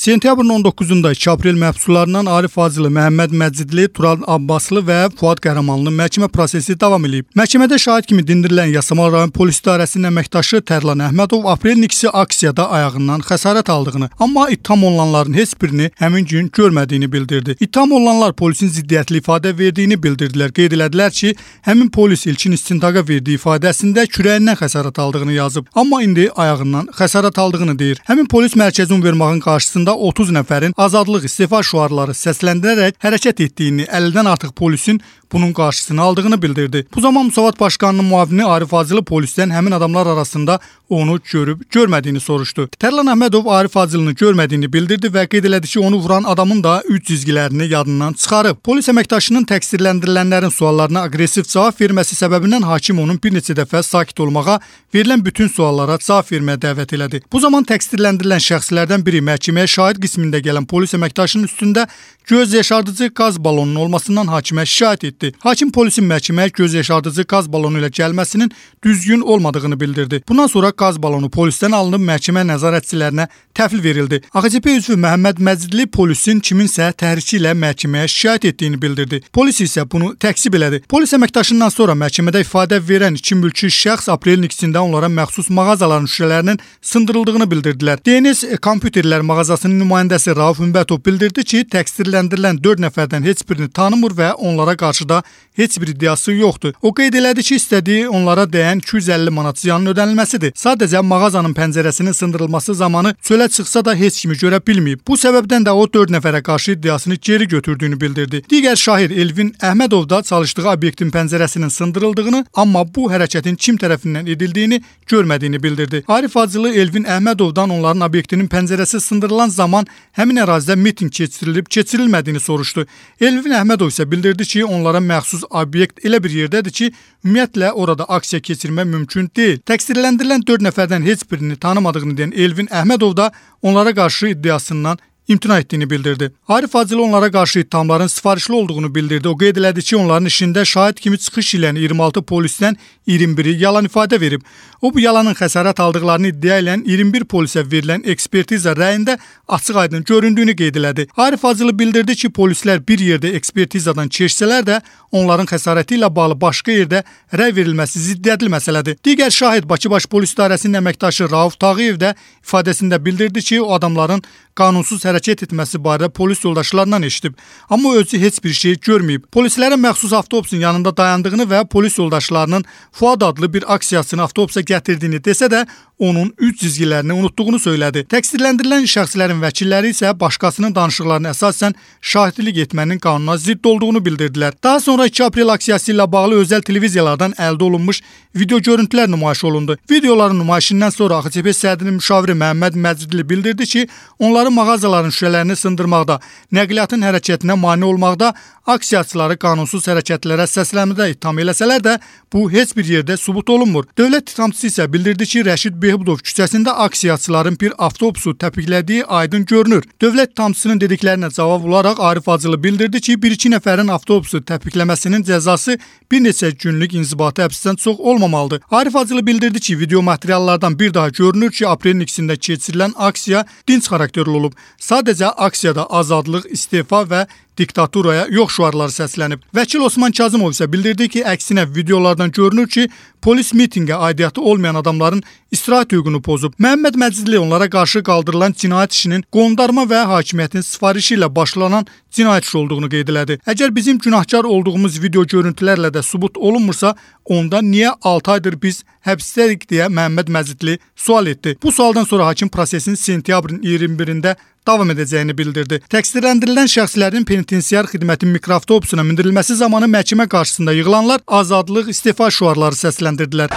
Sentyabrın 19-da 2 aprel məhbuslarından Arif Fazılı, Məhəmməd Məcidli, Tural Abbaslı və Fuad Qəhrəmanlının məhkəmə prosesi davam edib. Məhkəmədə şahid kimi dindirilən Yasamal rayon polis idarəsinin əməkdaşı Tərlan Əhmədov aprelin 2-si aksiyada ayağından xəsarət aldığını, amma ittiham olunanların heç birini həmin gün görmədiyini bildirdi. İttiham olunanlar polisin ziddiyyətli ifadə verdiyini bildirdilər. Qeyd elədilər ki, həmin polis ilkin istintaqa verdiyi ifadəsində kürəyindən xəsarət aldığını yazıb, amma indi ayağından xəsarət aldığını deyir. Həmin polis mərkəzi univermağın qarşısında 30 nəfərin azadlıq istefa şüarları səsləndirərək hərəkət etdiyini, 50-dən artıq polisin bunun qarşısını aldığını bildirdi. Bu zaman Müsavat Başqanının müavini Arif Fazılı polisdən həmin adamlar arasında onu görüb-görmədiyini soruşdu. Tərlan Əhmədov Arif Fazılını görmədiyini bildirdi və qeyd elədi ki, onu vuran adamın da üç cizgilərini yadından çıxarıb. Polis əməkdaşının təqsirləndirilənlərin suallarına aqressiv cavab verməsi səbəbindən hakim onun bir neçə dəfə sakit olmağa, verilən bütün suallara cavab verməyə dəvət elədi. Bu zaman təqsirləndirilən şəxslərdən biri məhkəməyə şahid qismində gələn polis əməkdaşının üstündə göz yaşardıcı qaz balonunun olmasından hakimə şikayət etdi. Hakim polisin məhkəməyə göz yaşardıcı qaz balonu ilə gəlməsinin düzgün olmadığını bildirdi. Bundan sonra qaz balonu polisdən alınıb məhkəmə nəzarətçilərinə təhvil verildi. AXCP üzvü Məhəmməd Məcidli polisin kiminsə təhriki ilə məhkəməyə şikayət etdiyini bildirdi. Polis isə bunu təkzib elədi. Polis əməkdaşından sonra məhkəmədə ifadə verən iki mülki şəxs aprelin 2-sində onlara məxsus mağazaların şüşələrinin sındırıldığını bildirdilər. DNS kompüterlər mağazasının nümayəndəsi Rauf Ümbətov bildirdi ki, təqsirləndirilən 4 nəfərdən heç birini tanımır və onlara qarşı da heç bir iddiası yoxdur. O qeyd elədi ki, istədiyi onlara dəyən 250 manat ziyanın ödənilməsidir. Sadəcə mağazanın pəncərəsinin sındırılması zamanı çölə çıxsa da heç kimi görə bilməyib. Bu səbəbdən də o 4 nəfərə qarşı iddiasını geri götürdüyünü bildirdi. Digər şahid Elvin Əhmədov da çalışdığı obyektin pəncərəsinin sındırıldığını, amma bu hərəkətin kim tərəfindən edildiyini görmədiyini bildirdi. Arif Fazılı Elvin Əhmədovdan onların obyektinin pəncərəsi sındırılan zaman həmin ərazidə miting keçirilmədiyini soruşdu. Elvin Əhmədov isə bildirdi ki, onlara məxsus obyekt elə bir yerdədir ki, ümumiyyətlə orada aksiya keçirmək mümkün deyil. Təqsirləndirilən 4 nəfərdən heç birini tanımadığını deyən Elvin Əhmədov da onlara qarşı iddiasından imtina etdiyini bildirdi. Arif Fazılı onlara qarşı ittihamların sifarişli olduğunu bildirdi. O qeyd elədi ki, onların işində şahid kimi çıxış ilə 26 polisdən 21-i yalan ifadə verib. O bu yalanın xəsarət aldıqlarını iddia edən 21 polisə verilən ekspertiza rəyində açıq-aydın göründüyünü qeyd elədi. Arif Fazılı bildirdi ki, polislər bir yerdə ekspertizadan keçsələr də onların xəsarəti ilə bağlı başqa yerdə rəy verilməsi ziddiyyətli məsələdir. Digər şahid Bakı Baş Polis İdarəsinin əməkdaşı Rauf Tağıyev də ifadəsində bildirdi ki, o adamların qanunsuz hərəkət etməsi barədə polis yoldaşlarından eşidib, amma özü heç bir şey görməyib. Polislərin məxsus avtobusun yanında dayandığını və polis yoldaşlarının Fuad adlı bir aksiyasını avtobusa gətirdiyini desə də, onun üç cizgilərini unutduğunu söylədi. Təqsirləndirilən şəxslərin vəkilləri isə başqasının danışıqlarına əsasən şahidlik etmənin qanuna zidd olduğunu bildirdilər. Daha sonra 2 aprel aksiyası ilə bağlı özəl televiziyalardan əldə olunmuş video görüntülər nümayiş olundu. Videoların nümayişindən sonra AXCP sədrinin müşaviri Məhəmməd Məcidli bildirdi ki, onların mağazaların şüşələrini sındırmaqda, nəqliyyatın hərəkətinə mane olmaqda, aksiyaçıları qanunsuz hərəkətlərə səslənmədə ittiham eləsələr də, bu heç bir yerdə sübut olunmur. Dövlət ittihamçısı isə bildirdi ki, Rəşid Behbudov küçəsində aksiyaçıların bir avtobusu təpiklədiyi aydın görünür. Dövlət ittihamçısının dediklərinə cavab olaraq Arif Fazılı bildirdi ki, 1-2 nəfərin avtobusu təpikləməsinin cəzası bir neçə günlük inzibati həbsdən çox olmamalıdır. Arif Fazılı bildirdi ki, video materiallardan bir daha görünür ki, aprelin 2-sində keçirilən aksiya dinc xarakterli olub. Sadəcə aksiyada azadlıq, istefa və diktaturaya yox şüarları səslənib. Vəkil Osman Kazımov isə bildirdi ki, əksinə videolardan görünür ki, polis mitinqə aidiyyatı olmayan adamların istirahət hüququnu pozub. Məhəmməd Məcidli onlara qarşı qaldırılan cinayət işinin qondarma və hakimiyyətin sifarişi ilə başlanan cinayət işi olduğunu qeyd elədi. Əgər bizim günahkar olduğumuz video görüntülərlə də sübut olunmursa, onda niyə 6 aydır biz həbsdəyik deyə Məhəmməd Məcidli sual etdi. Bu sualdan sonra hakim prosesin sentyabrın 21-də davam edəcəyini bildirdi. Təqsirləndirilən şəxslərin penitensiar xidmətin mikroavtobusuna mindirilməsi zamanı məhkəmə qarşısında yığılanlar azadlıq, istefa şüarları səsləndirdilər.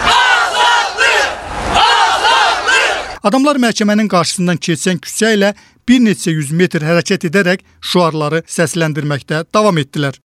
Adamlar məhkəmənin qarşısından keçən küçə ilə bir neçə yüz metr hərəkət edərək şüarları səsləndirməkdə davam etdilər.